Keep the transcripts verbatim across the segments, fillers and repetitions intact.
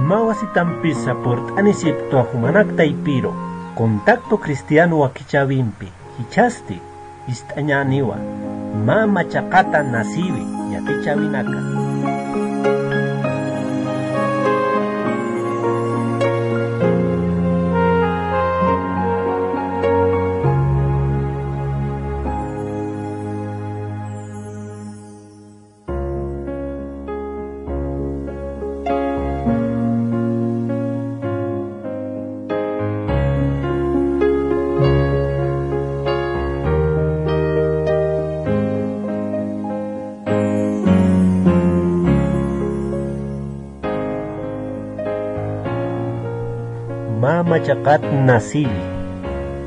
Mä wasitampisa purt'anisipktwa jumanak taypiru, Contacto Cristiano wakichäwimpi, jichhasti jist'añäniwa, mä machaqata nasïwi yatichäwinaka. Mä machaqat nasïwi.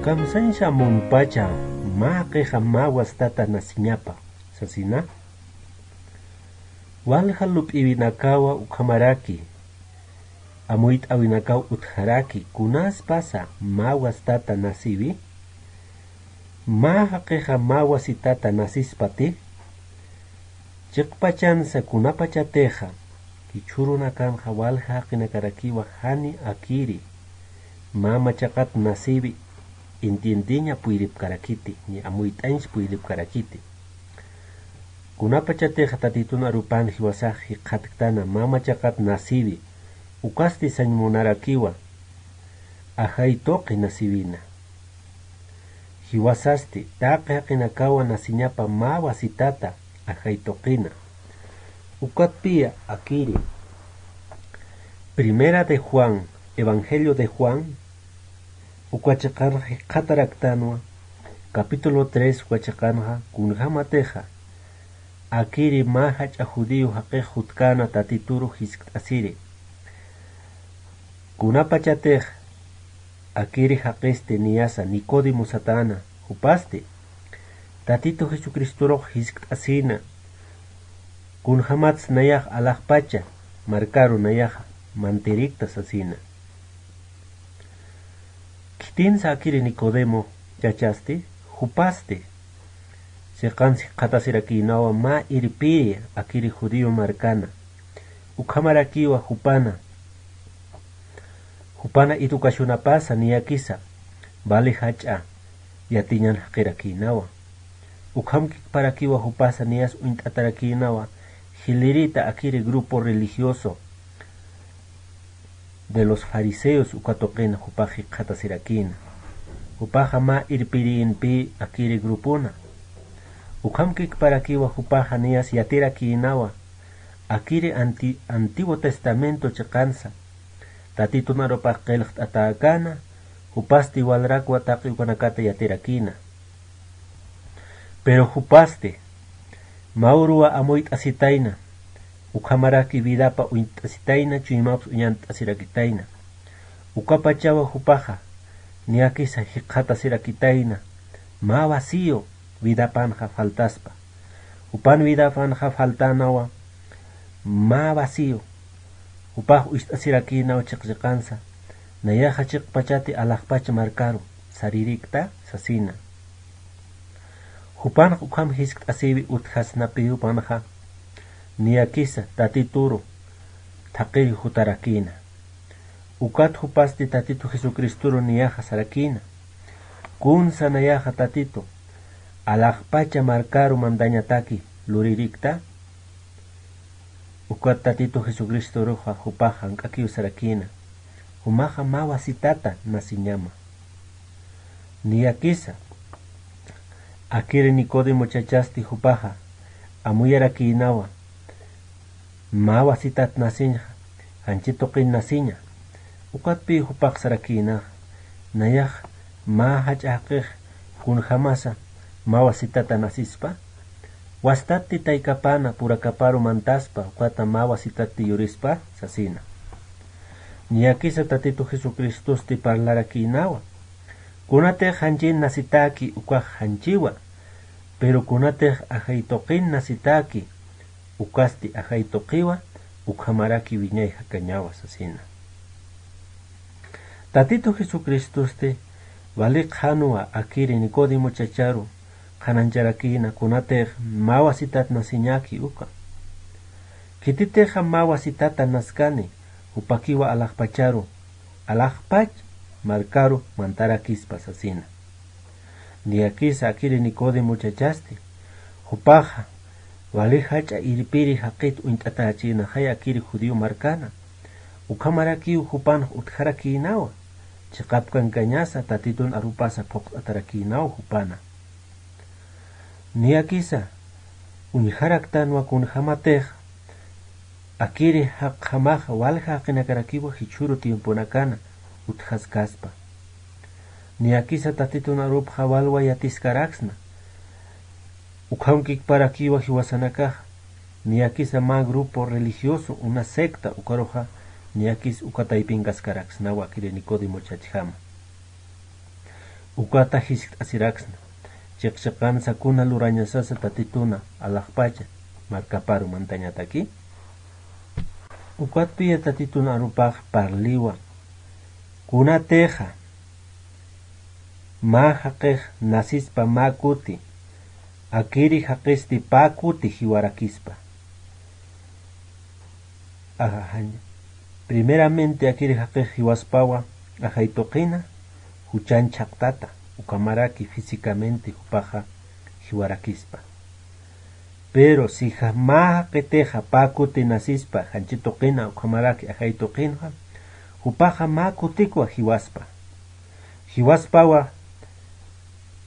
Kamsañsa munpacha mä jaqixa mä wasitata nasiñapa, sasina. Walja lup'iwinakawa ukhamaraki amuyt'äwinakaw utjaraki, kunaspasa mä wasitata nasïwi, mä jaqixa mä wasitata nasispati, chiqpachansa kunapachatixa jichhürunakanxa walja jaqinakarakiwa jani akiri mä machaqat nasïwi entiendeña puyripkarakiti, ni amuyt'añs puyripkarakiti. Kunapachatixa Tatitun arupan jiwasax jikxatktäna mä machaqat nasïwi, ukasti sañ munarakiwa ajay tuqi nasïwina. Jiwasasti taqi jaqinakawa nasiñapa mä wasitata ajay tuqina. Ukatpiya akiri Primera de Juan, Evangelio de Juan, uka chiqanxa jikxataraktanwa, capítulo tres uka chiqanxa, kunjamatixa akiri mä jach'a judío jaqix jutkäna Tatituru jiskt'asiri. Kunapachatix akiri jaqisti niyasa Nicodemo satäna, jupasti Tatitu Jesucristurux jiskt'asïna, kunjämats nayax alaxpacha markaru nayaxa mantirikta sasina. Khitinsa akiri Nicodemo chachasti, jupasti chiqans jikxatasirakïnawa mä irpiri akiri judío markana. Ukhamarakiwa jupana, jupana educacionapasa niyakisa vali jach'a yatiñan jaqirakïnawa. Ukhamkikparakiwa jupasa niyas uñt'atarakïnawa jilïrita akiri grupo religioso de los fariseos uka tuqina jupax jikxatasirakïna. Jupaxa mä irpirïnpï akiri grupuna. Ukhamkikparakiwa jupaxa niyas yatirakïnawa akiri anti-, Antiguo Testamento chiqansa Tatitun arupax qillqt'atäkäna, jupasti walrakwa taqi ukanakata yatirakïna. Pero jupasti mä uruwa amuyt'asitayna, ukhamaraki vidapa uñt'asitayna, chuymaps uñant'asirakitayna. Ukapachawa jupaxa niyakisa jikxatasirakitayna mä vacío vidapanxa faltaspa. Jupan vidapanxa faltänawa mä vacío. Jupax uñt'asirakïnaw chiqchiqansa, nayaxa chiqpachati alaxpach markaru saririkta sasina. Jupanx ukham jiskt'asïwi utjasnapi jupanxa niyakisa Tatituru thaqhiri jutarakïna. Ukat jupasti Tatitu Jesucristuru niyaxa sarakïna. Kunsa nayaxa Tatitu alaxpacha markaru mandañataki luririkta. Ukat Tatitu Jesucristuruxa jupax jank'akiw sarakïna, jumaxa mä wasitata nasiñama. Niyakisa akiri Nicodemo chachasti jupaxa amuyarakïnawa, mä wasitat nasiñxa, janchi tuqin nasiña. Ukatpï jupax sarakïnaxa, nayax mä jach'a jaqix kunjamasa mä wasitata nasispa? Wastatti taykapäna purakaparu mantaspa, ukata mä wasitatti yurispa sasina. Niyakisa Tatitu Jesucristusti parlarakïnawa. Kunatix janchin nasitäki ukax janchiwa, pero kunatix ajay tuqin nasitäki, ukasti ajay tuqiwa, ukhamaraki wiñay jakañawa sasina. Tatitu Jesucristusti wali qhanwa akiri Nicodemo chacharu qhanancharakïna kunatix mä wasitat nasiñäki uka. Khititixa mä wasitata naskani, jupakiwa alaxpacharu, alaxpach markaru mantarakispa sasina. Niyakisa akiri Nicodemo chachasti, jupaxa wali jach'a irpiri jaqit uñt'atarachinaxay akiri judío markana. Ukhamarakiw jupanx utjarakïnawa, chiqapkankañasa Tatitun arupasa phuqt'atarakïnaw jupana. Niyakisa uñjaraktanwa kunjämatix akiri jaqjamaxa walja jaqinakarakiwa jichhüru tiemponakana utjaskaspa. Niyakisa Tatitun arupxa walwa yatiskaraksna. Ukham kikparakiwa jiwasanakaxa, niyakisa mä grupo religioso, una secta, ukaruxa niyakis uka taypinkaskaraksnawa akiri Nicodemo chachjama. Ukata jiskt'asiraksna, chiqchiqansa kuna lurañasasa Tatituna alaxpacha markaparu mantañataki. Ukatpiya Tatitun arupax parliwa, kunatixa mä jaqix nasispa mä kuti, akiri jaqisti pä kuti jiwarakispa. Ajajaña. Primeramente akiri jaqix jiwaspawa ajay tuqina, juchan chhaqtata, ukhamaraki físicamente jupaxa jiwarakispa. Pero si ja-, mä jaqitixa pä kuti nasispa janchi tuqina ukhamaraki ajay tuqinxa, jupaxa mä kutikwa jiwaspa. Jiwaspawa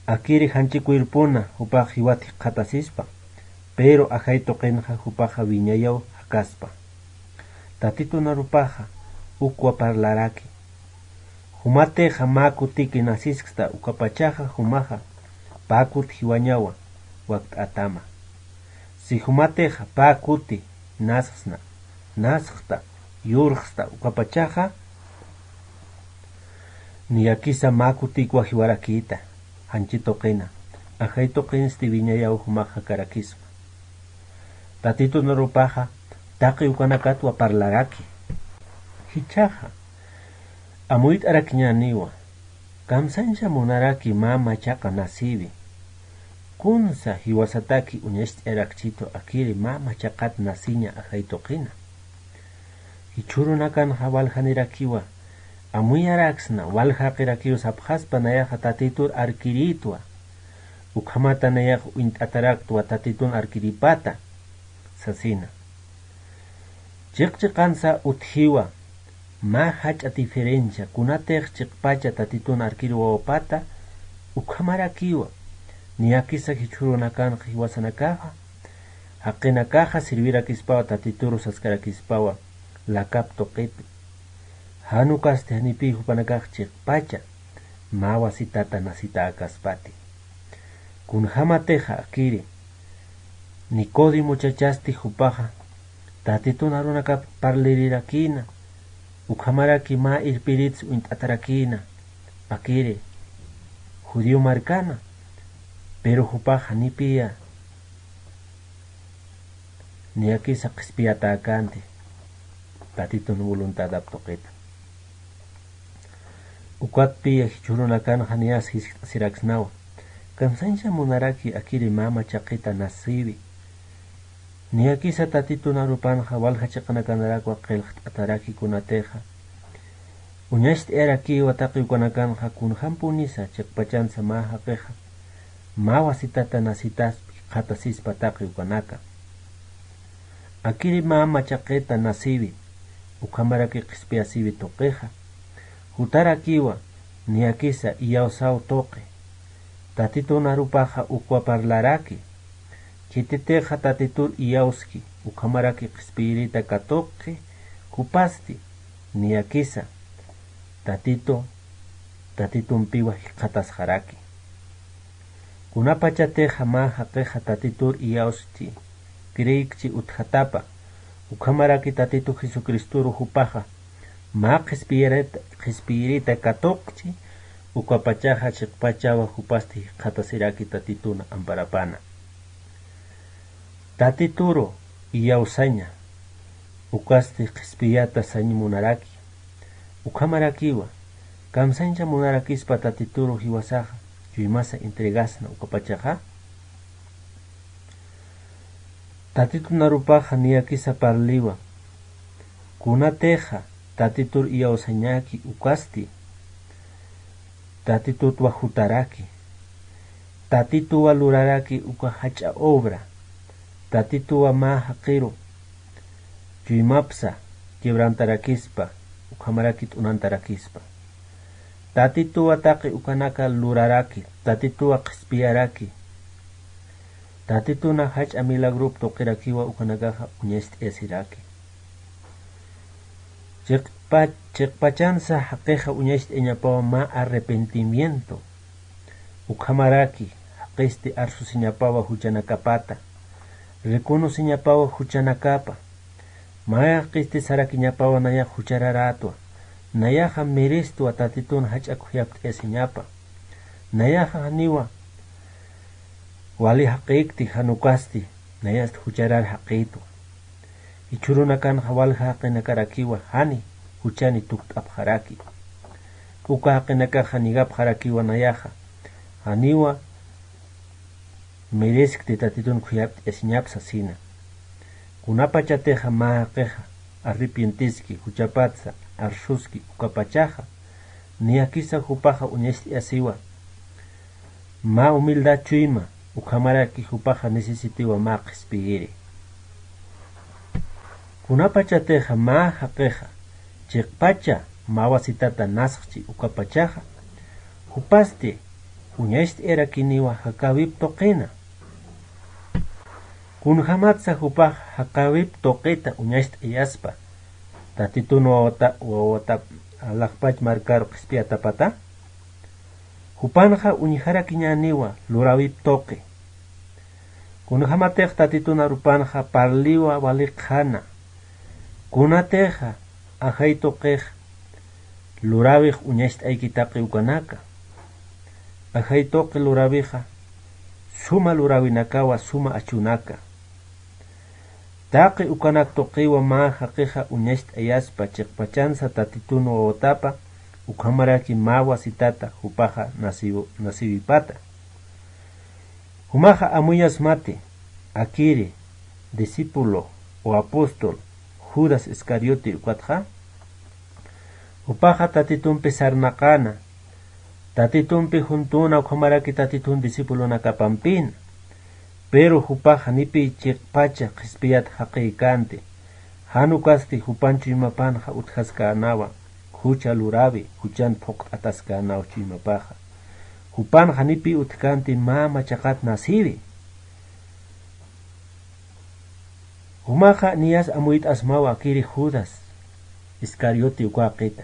akiri janchi cuerpona jupax jiwat jikxatasispa, pero ajay tuqinxa jupaxa wiñayaw jakaspa. Tatitun arupaxa ukwa parlaraki. Jumatixa mä kutiki nasiskta ukapachaxa jumaxa pä kut jiwañawa wakt'atama. Si jumatixa pä kuti nasxsna, nasxta, yurxsta ukapachaxa, niyakisa mä kutikwa jiwarakïta, janchi tuqina, ajay tuqinsti wiñayaw jumax jakarakisma. Tatitun arupaxa taqi ukanakatwa parlaraki. Jichhaxa amuyt'arakiñäniwa, kamsañsa munaraki mä machaqa nasïwi. Kunsa jiwasataki uñacht'ayarakchitu akiri mä machaqat nasiña ajay tuqina. Jichhürunakanxa waljanirakiwa, amuyaraksna, walja jaqirakiw sapxaspa nayaxa Tatitur arkirïtwa. Ukhamata nayax uñt'ataraktwa Tatitun arkirïpata, sasina. Chiqchiqansa utjiwa, mä jach'a diferencia, kunatix chiqpacha Tatitun arkiriwawapata, ukhamarakiwa, niyakisa jichhürunakanxa jiwasanakaxa, jaqinakaxa sirvirakispawa Tatituru saskarakispawa, lakap tuqipi. Jan ukasti janipï jupanakax chiqpacha, mä wasitata nasitäkaspati. Kunjämatixa akiri, Nicodemo chachasti jupaxa, Tatitun arunakap parlirirakïna, ukhamaraki mä irpiritsa uñt'atarakïna, akiri, judío markana, pero jupaxa janipïya, niyakisa qhispiyatäkänti, Tatitun voluntadap tuqita. Ukatpiya jichhürunakanxa niyas jiskt'asiraksnawa, kamsañsa munaraki akiri mä machaqita nasïwi. Niyakisa Tatitun arupanxa walja chiqanakanarakwa qillqt'ataraki kunatixa. Uñacht'ayarakïwa taqi ukanakanxa kunjämpunisa chiqpachansa mä jaqixa, mä wasitata nasitaspi jikxatasispa taqi ukanaka. Akiri mä machaqita nasïwi, ukhamaraki qhispiyasïwi tuqixa. Jutarakiwa, niyakisa iyawsaw tuqi. Tatitun arupaxa ukwa parlaraki. Khititixa Tatitur iyawski, ukhamaraki qhispiyirïta katuqi, jupasti, niyakisa, Tatitu, Tatitumpiwa jikxatasxaraki. Kunapachatixa mä jaqixa Tatitur iyawschi, creekchi utjatapa, ukhamaraki Tatitu Jesucristoru jupaxa, mä qhispiyirïta, qhispiyirïta katuqchi, ukapachaxa chiqpachawa jupasti jikxatasiraki Tatitun amparapana. Tatituru iyawsaña, ukasti qhispiyata sañ munaraki, ukhamarakiwa, kamsañcha munarakispa Tatituru jiwasaxa, chuymasa entregasna ukapachaxa. Tatitun arupaxa niyakisa parliwa, kunatixa, Tatitur iyawsañaki ukasti, Tatitutwa jutaraki, Tatituwa luraraki uka jach'a obra, Tatituwa mä jaqiru chuymapsa quebrantarakispa, ukhamaraki t'unantarakispa. Tatituwa taqi ukanaka luraraki, Tatituwa qhispiyaraki, Tatituna jach'a milagrop tuqirakiwa ukanakaxa uñacht'ayasiraki. Chiqpa-, chiqpachansa jaqixa uñacht'ayañapawa mä arrepentimiento. Ukhamaraki jaqisti arsusiñapawa juchanakapata, reconociñapawa juchanakapa. Mä jaqisti sarakiñapawa nayax juchararätwa, nayaxa merestwa Tatitun jach'a khuyapt'ayasiñapa. Nayaxa janiwa wali jaqïkti, jan ukasti nayast jucharar jaqïtwa. Jichhürunakanxa walja jaqinakarakiwa jani juchani tukt'apxaraki. Uka jaqinakaxa nigapxarakiwa nayaxa janiwa mereskti Tatitun khuyapt'ayasiñap sasina. Kunapachatixa mä jaqixa arrepientiski, juchapatsa arsuski ukapachaxa, niyakisa jupaxa uñacht'ayasiwa mä humildad chuyma, ukhamaraki jupaxa necesitiwa mä qhispiyiri. Kunapachatixa mä jaqixa chiqpacha mä wasitata nasxchi ukapachaxa, jupasti uñacht'ayarakiniwa jakäwip tuqina. Kunjamatsa jupax jakäwip tuqita uñacht'ayaspa Tatitun wawata, wawata alaxpach markaru qhispiyatapata? Jupanxa uñjarakiñäniwa luräwip tuqi. Kunjamatix Tatitun arupanxa parliwa wali qhana. Kunatixa ajay tuqix luräwix uñacht'ayki taqi ukanaka. Ajay tuqi luräwixa suma luräwinakawa suma achunaka. Taqi ukanak tuqiwa mä jaqixa uñacht'ayaspa chiqpachansa Tatitun wawatapa, ukhamaraki mä wasitata jupaxa nasiw-, nasiwipata. Jumaxa amuyasmati, akiri, discípulo o apóstol Judas Iscariote ukatxa. Jupaxa Tatitumpi sarnaqana, Tatitumpi juntuna ukhamaraki Tatitun discipulonakapampina. Pero jupaxa nipi chiqpacha qhispiyat jaqïkanti. Jan ukasti jupan chuymapanxa utjaskanawa jucha luräwi, juchan phuqt'ataskänaw chuymapaxa. Jupanxa nipi utjkanti mä machaqat nasiwi. Jumaxa niyas amuyt'asmawa akiri Judas Iscariote uka jaqita.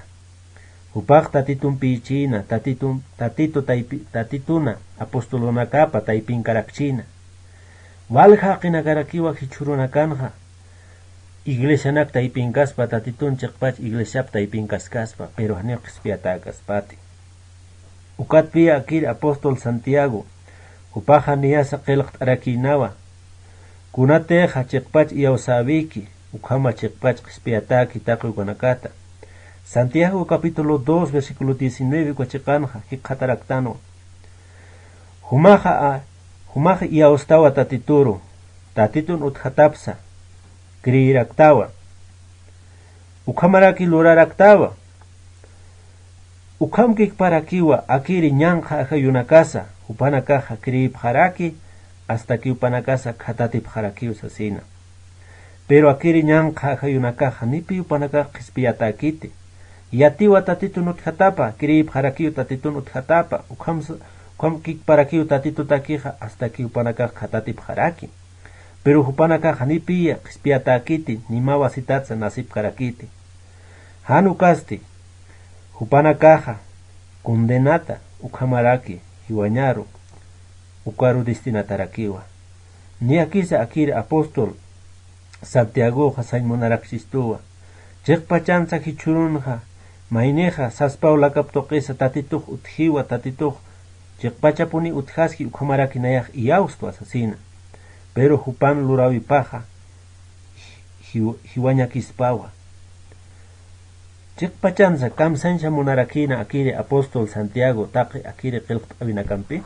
Jupax Tatitumpïchïna, Tatitun-, Tatitu taypi-, Tatituna apostolonakapa taypinkarakchïna. Walja jaqinakarakiwa jichhürunakanxa iglesianak taypinkaspa, Tatitun chiqpach iglesiap taypinkaskaspa, pero janiw qhispiyatäkaspati. Ukatpï akir apóstol Santiago, jupaxa niyasa qillqt'arakïnawa, kunatixa chiqpach iyawsäwiki, ukhama chiqpach qhispiyatäki taqi ukanakata. Santiago capítulo dos, versículo diecinueve uka chiqanxa jikxataraktanwa. Jumaxa a-, jumaxa iyawstawa Tatituru, Tatitun utjatapsa, creeraktawa. Ukhamaraki luraraktawa. Ukhamkikparakiwa akiri ñanqha ajayunakasa, jupanakaxa creepxaraki, astaki jupanakasa khatatipxarakiw sasina. Pero akiri ñanqha ajayunakaxa nipi jupanakax qhispiyatäkiti. Yatiwa Tatitun utjatapa, creepxarakiw Tatitun utjatapa, ukham s-, ukhamkikparakiw Tatitutakixa astaki jupanakax khatatipxaraki. Pero jupanakaxa nipiya qhispiyatäkiti, ni mä wasitatsa nasipkarakiti. Jan ukasti, jupanakaxa condenata ukhamaraki jiwañaru, ukaru destinatarakiwa. Niyakisa akir apóstol Santiagoxa sañ munarakchistuwa. Chiqpachansa jichhürunxa, maynixa saspaw lakap tuqisa Tatitux utjiwa, Tatitux chiqpachapuni utjaski ukhamaraki nayax iyawstwa sasina. Pero jupan luräwipaxa ji-, jiw-, jiwañakispawa. Chiqpachansa kamsañsa munarakïna akiri apóstol Santiago taqi akiri qillqt'awinakampi.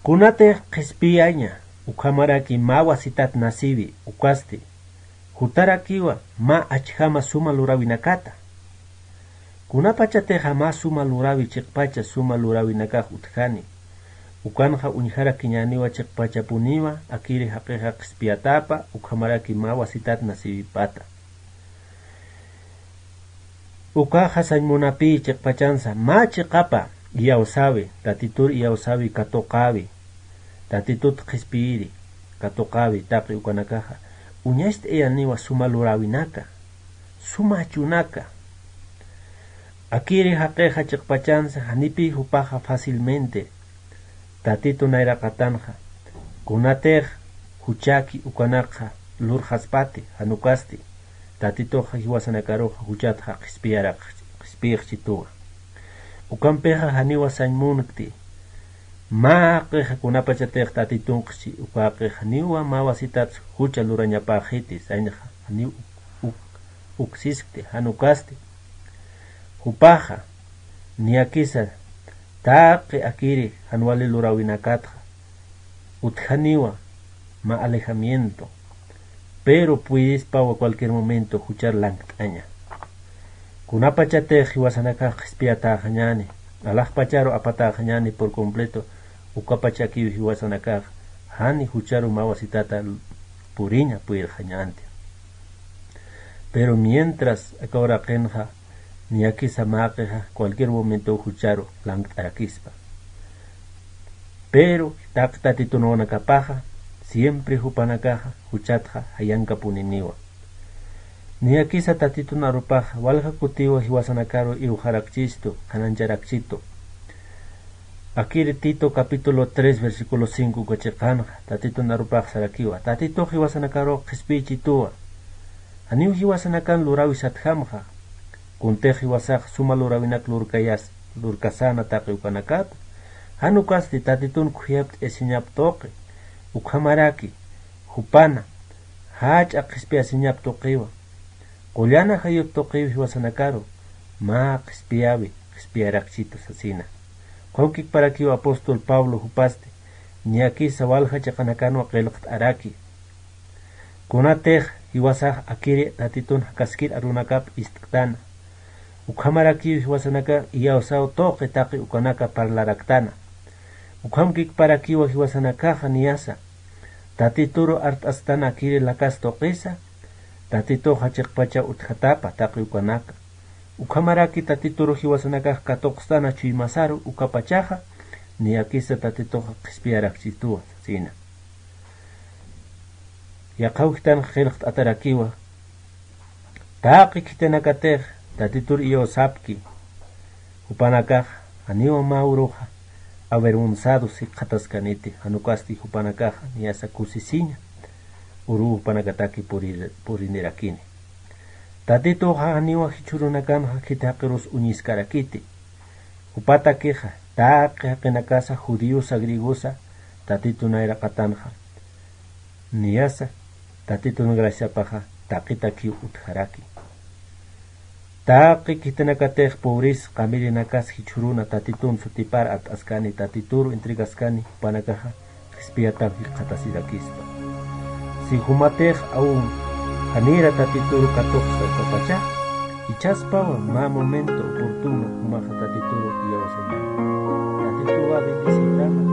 Kunatix qhispiyaña ukhamaraki mä wasitat nasiwi ukasti, jutarakiwa mä achjama suma luräwinakata. Kunapachatixa mä suma luräwi chiqpacha suma luräwinakax utjani, ukanxa uñjarakiñäniwa chiqpachapuniwa akiri jaqixa qhispiyatapa ukhamaraki mä wasitat nasiwipata. Ukaxa sañ munapï chiqpachansa mä chiqapa iyawsäwi, Tatitur iyawsäwi katuqäwi, Tatitut qhispiyiri katuqäwi taqi ukanakaxa, uñacht'ayaniwa suma luräwinaka, suma achunaka. Akiri jaqixa chiqpachansa janipï jupaxa fácilmente Tatitu nayraqatanxa, kunatix juchaki ukanakxa lurxaspati, jan ukasti Tatituxa jiwasanakaruxa juchatxa qhispiyarax-, qhispiyxchituwa. Ukampixa janiwa sañ munkti, mä jaqixa kunapachatix Tatitunxchi, uka jaqixa janiwa mä wasitatsa jucha lurañapäxiti, sañxa janiw uk-, uksiskti, jan ukasti jupaxa niyakisa taqi akiri jan wali luräwinakatxa utjaniwa mä alejamiento, pero puedispawa cualquier momento juchar lankt'aña. Kunapachatix jiwasanakax qhispiyatäxañäni, alaxpacharu apatäxañäni por completo, ukapachakiw jiwasanakax jani jucharu mä wasitata puriña puyirxañänti. Pero mientras aka uraqinxa niyakisa mä jaqixa cualquier momento jucharu lankt'arakispa. Pero taqi Tatitun wawanakapaxa siempre jupanakaxa juchatxa jayankapuniniwa. Niyakisa Tatitun arupaxa walja kutiwa jiwasanakaru iwxarakchistu, qhanancharakchitu. Akiri Tito capítulo tres versículo cinco uka chiqanxa Tatitun arupax sarakiwa, Tatitux jiwasanakaru qhispiychituwa. Janiw jiwasanakan luräwisatjamxa, kuntix jiwasax suma luräwinak lurkayas-, lurkasäna taqi ukanakata. Jan ukasti Tatitun khuyapt'ayasiñap tuqi, ukhamaraki jupana jach'a qhispiyasiñap tuqiwa, qullana jayut tuqiw jiwasanakaru mä qhispiyäwi, qhispiyarakchitu sasina. Ukham kikparakiw apóstol Pablo jupasti, niyakisa walja chiqanakanwa qillqt'araki. Kunatix jiwasax akiri Tatitun jakaskir arunakap ist'ktana, ukhamarakiw jiwasanakax iyawsaw tuqi taqi ukanaka parlaraktana. Ukham kikparakiwa jiwasanakaxa niyasa Tatituru art'asktana akiri lakas tuqisa, Tatituxa chiqpacha utjatapa taqi ukanaka. Ukhamaraki Tatituru jiwasanakax katuqstana chuymasaru ukapachaxa, niyakisa Tatituxa qhispiyarakchituwa sasina. Yaqha ukhtanxa qillqt'atarakiwa, taqi khitinakatix Tatitur iyawsapki, jupanakax janiwa mä uruxa avergonzados jikxataskaniti, jan ukasti jupanakaxa niyasa kusisiña uruw jupanakataki purir-, purinirakini. Tatituxa janiwa jichhürunakanxa khiti jaqirus uñiskarakiti. Jupatakixa taqi jaqinakasa judiosa griegosa Tatitu nayraqatanxa niyasa Tatitun graciapaxa taqitakiw utjaraki. Taqi khitinakatix pobres qamillinakas jichhüruna Tatitun sutipar art'askani, Tatituru entregaskani, jupanakaxa qhispiyataw jikxatasirakispa. Si jumatix aún janira Tatituru katuqsa ukapachaxa, jichhaspawa mä momento oportuno jumaxa Tatituru iyawsañäni. Tatituwa bendecirtama.